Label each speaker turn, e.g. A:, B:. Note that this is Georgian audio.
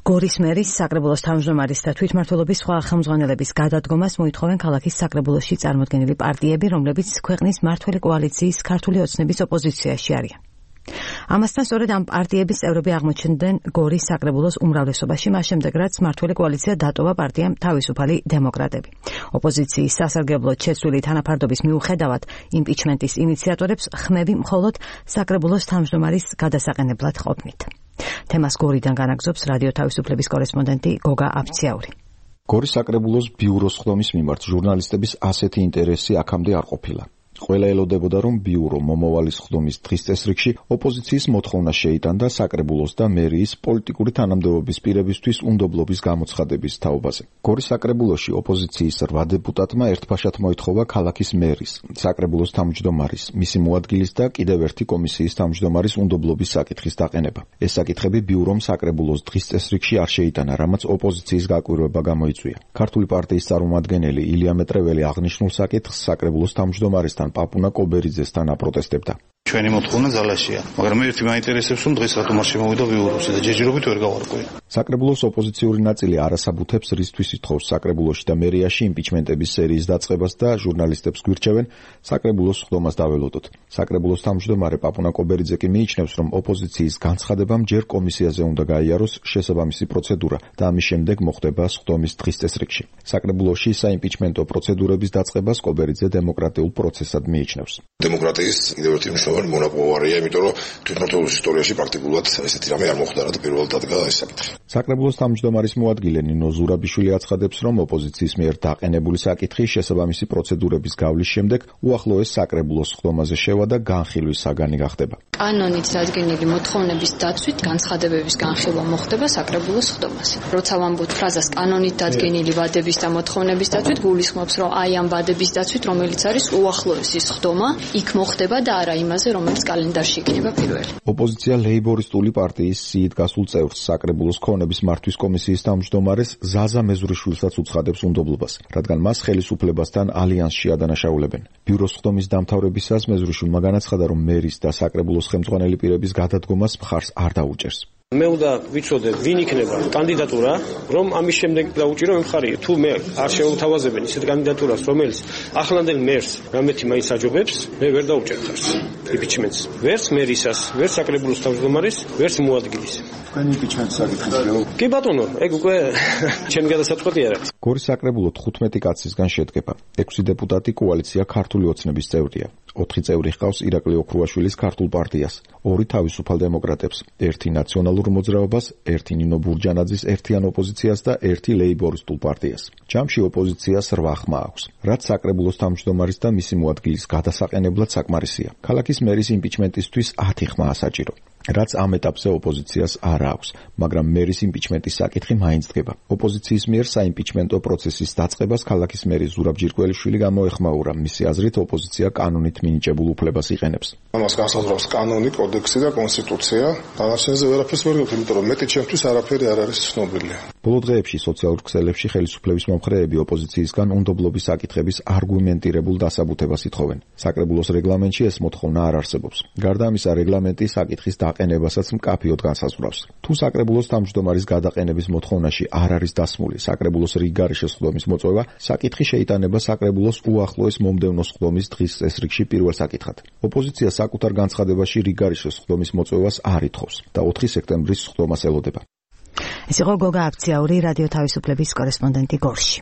A: გორის მერის, საკრებულოს თავმჯდომარის და თვითმმართველობის სხვა ხელმძღვანელების გადადგომას მოითხოვენ ქალაქის საკრებულოში წარმოდგენილი პარტიები, რომლებიც ქვეყნის მმართველი კოალიციის ქართული ოცნების ოპოზიციაში არიან. ამასთან სწორედ ამ პარტიების წევრები აღმოჩნდნენ გორის საკრებულოს უმრავლესობაში, მას შემდეგ რაც მმართველი კოალიცია დატოვა პარტიამ თავისუფალი დემოკრატები. ოპოზიციის სასარგებლოდ შეცვლილი თანაფარდობის მიუხედავად იმპიჩმენტის ინიციატორებს ხმები მხოლოდ საკრებულოს თავმჯდომარის გადასაყენებლად ყოფნით. თემას გორიდან განაგზობს რადიო თავისუფლების კორესპონდენტი გოგა აფციაური.
B: გორის საკრებულოს ბიუროს ხდომის მიმართ ჟურნალისტების ასეთი ინტერესი აქამდე არ ყოფილა. ყველა ელოდებოდა, რომ ბიურო მომავალის ხდომის დღის წესრიგში ოპოზიციის მოთხოვნა შეიტანდა საკრებულოს და მერიის პოლიტიკური თანამდებობის პირებისთვის უნდობლობის გამოცხადების თაობაზე. გორის საკრებულოში ოპოზიციის 8 დეპუტატმა ერთფაშად მოითხოვა ქალაქის მერის, საკრებულოს თავმჯდომარის, მისი მოადგილის და კიდევ ერთი კომისიის თავმჯდომარის უნდობლობის საკითხის დაყენება. ეს საკითხები ბიურომ საკრებულოს დღის წესრიგში არ შეიტანა, რამაც ოპოზიციის გაკვირვება გამოიწვია. ქართული პარტიის წარმომადგენელი ილია მეტრეველი აღნიშნულ საკითხს საკრებულოს თავმჯდომარისთან პაპუნა კობერიძესთან აპროტესტებდა.
C: ჩვენი მოთხოვნა ძალაშია, მაგრამ ერთი მაინტერესებს, რომ დღეს რატომ არ შემოვიდა ბიუროზე და ჯერჯერობით ვერ გავარკვევი.
B: საკრებულოს ოპოზიციური ნაწილი არასაბუთებს რისთვის ითხოვს საკრებულოში და მერიაში იმპიჩმენტების სერიის დაწყებას და ჟურნალისტებს გვირჩევენ საკრებულოს ხდომას დაველოდოთ. საკრებულოს თავმჯდომარე პაპუნა კობერიძე კი მიიჩნევს, რომ ოპოზიციის განცხადებამ ჯერ კომისიაზე უნდა გაიაროს შესაბამისი პროცედურა და ამის შემდეგ მოხდება ხდომის დღის წესრიგში. საკრებულოში საიმპიჩმენტო პროცედურების დაწყებას კობერიძე დემოკრატიულ პროცესად მიიჩნევს.
D: დემოკრატიის კიდევ ერთი მნიშვნელოვანი მონაპოვარია, იმიტომ რომ თვითმმართველობის ისტორიაში პრაქტიკულად ესეთი რამე არ მოხდა, რაც პირველად დადგა ეს საკითხი.
B: საკრებულოს თავმჯდომარის მოადგილე ნინო ზურაბიშვილი აცხადებს, რომ ოპოზიციის მიერ დაყენებული საკითხი შესაბამისი პროცედურების გავლის შემდეგ უახლოეს საკრებულოს ხდომაზე შევა და განხილვის საგანი გახდება.
E: კანონით დადგენილი მოთხოვნების დაცვით განცხადებების განხილვა მოხდება საკრებულოს ხდომაზე. როცა ვამბობთ ფრაზას კანონით დადგენილი ვადების და მოთხოვნების დაცვით, გულისხმობს, რომ აი ამ ვადების დაცვით, რომელიც არის უახლოესი ხდომა, იქ მოხდება და არა იმაზე, რომელიც კალენდარში იქნება პირველი.
B: ოპოზიცია ლეიბორისტული პარტიის სიით გასულ წევრს საკრებულოს ქონების მართვის კომისიის თავმჯდომარეს ზაზა მეზურიშვილსაც უცხადებს უნდობლობას, რადგან მას ხელისუფლებასთან ალიანსში ადანაშაულებენ. ბიუროს ხდომის დამთავრებისას მეზურიშვილმა განაცხადა, რომ მერის და საკრებულოს ხელმძღვანელი პირების გადადგომას მხარს არ დაუჭერს.
F: მე უნდა ვიცოდე, ვინ იქნება კანდიდატურა, რომ ამის შემდეგ დაუჭირო მხარია. თუ მე არ შეუთავაზებენ ისეთ კანდიდატურას, რომელიც ახლანდელ მერს რამეთი მაინც აჯობებს, მე ვერ დაუჭერ ხარს იმპიჩმენტს. ვერც მერისას, ვერც საკრებულოს თავმჯდომარის, ვერც მოადგილის.
C: თქვენი იმპიჩმენტს საკითხია.
F: კი ბატონო, ეგ უკვე ჩემი გადასაწყვეტი არა.
B: გორის საკრებულო 15 კაცისგან შედგება. 6 დეპუტატი კოალიცია ქართული ოცნების წევრია. 4 წევრი ჰყავს ირაკლი ოქრუაშვილის ქართულ პარტიას, 2 თავისუფალ დემოკრატებს, 1 ნაციონალურ მოძრაობას, 1 ნინო ბურჯანაძის ერთიან ოპოზიციას და 1 ლეიბორისტულ პარტიას. ჯამში ოპოზიციას 8 ხმა აქვს, რაც საკრებულოს თავმჯდომარის და მისი მოადგილის გადასაყენებლად საკმარისია. ქალაქის მერის იმპიჩმენტისთვის 10 ხმაა საჭირო, რაც ამ ეტაპზე ოპოზიციას არ აქვს, მაგრამ მერის იმპიჩმენტის საკითხი მაინც დგება. ოპოზიციის მიერ საიმპიჩმენტო პროცესის დაწყებას ქალაქის მერი ზურაბ ჯირკველიშვილი გამოეხმაურა. მისი აზრით ოპოზიცია კანონით მინიჭებულ უფლებას იყენებს.
D: ამას განსაზღვრავს კანონი, კოდექსი და კონსტიტუცია. დანარჩენზე ვერაფერს ვერ გავთ, იმიტომ რომ მეტი ჩემთვის არაფერი არ არის ცნობილი.
B: ბოლო დღეებში სოციალურ ქსელებში ხელისუფლების მომხრეები ოპოზიციისგან უნდობლობის საკითხების არგუმენტირებულ დასაბუთებას ითხოვენ. საკრებულოს რეგლამენტში ეს მოთხოვნა არ არსებობს. გარდა ამისა, რეგლამენტი საკითხის დაყენებასაც მკაფიოდ განსაზღვრავს. თუ საკრებულოს თავმჯდომარის გადაყენების მოთხოვნაში არ არის დასმული საკრებულოს რიგგარეშე ხდომის მოწვევა, საკითხი შეიტანება საკრებულოს უახლოეს მომდევნო ხდომის დღის წესრიგში პირველ საკითხად. ოპოზიცია საკუთარ განცხადებაში რიგგარეშე ხდომის მოწვევას არ ითხოვს და 4 სექტემბრის ხდომას ელოდება.
A: ეს იყო გოგა აფციაური, რადიო თავისუფლების კორესპონდენტი გორში.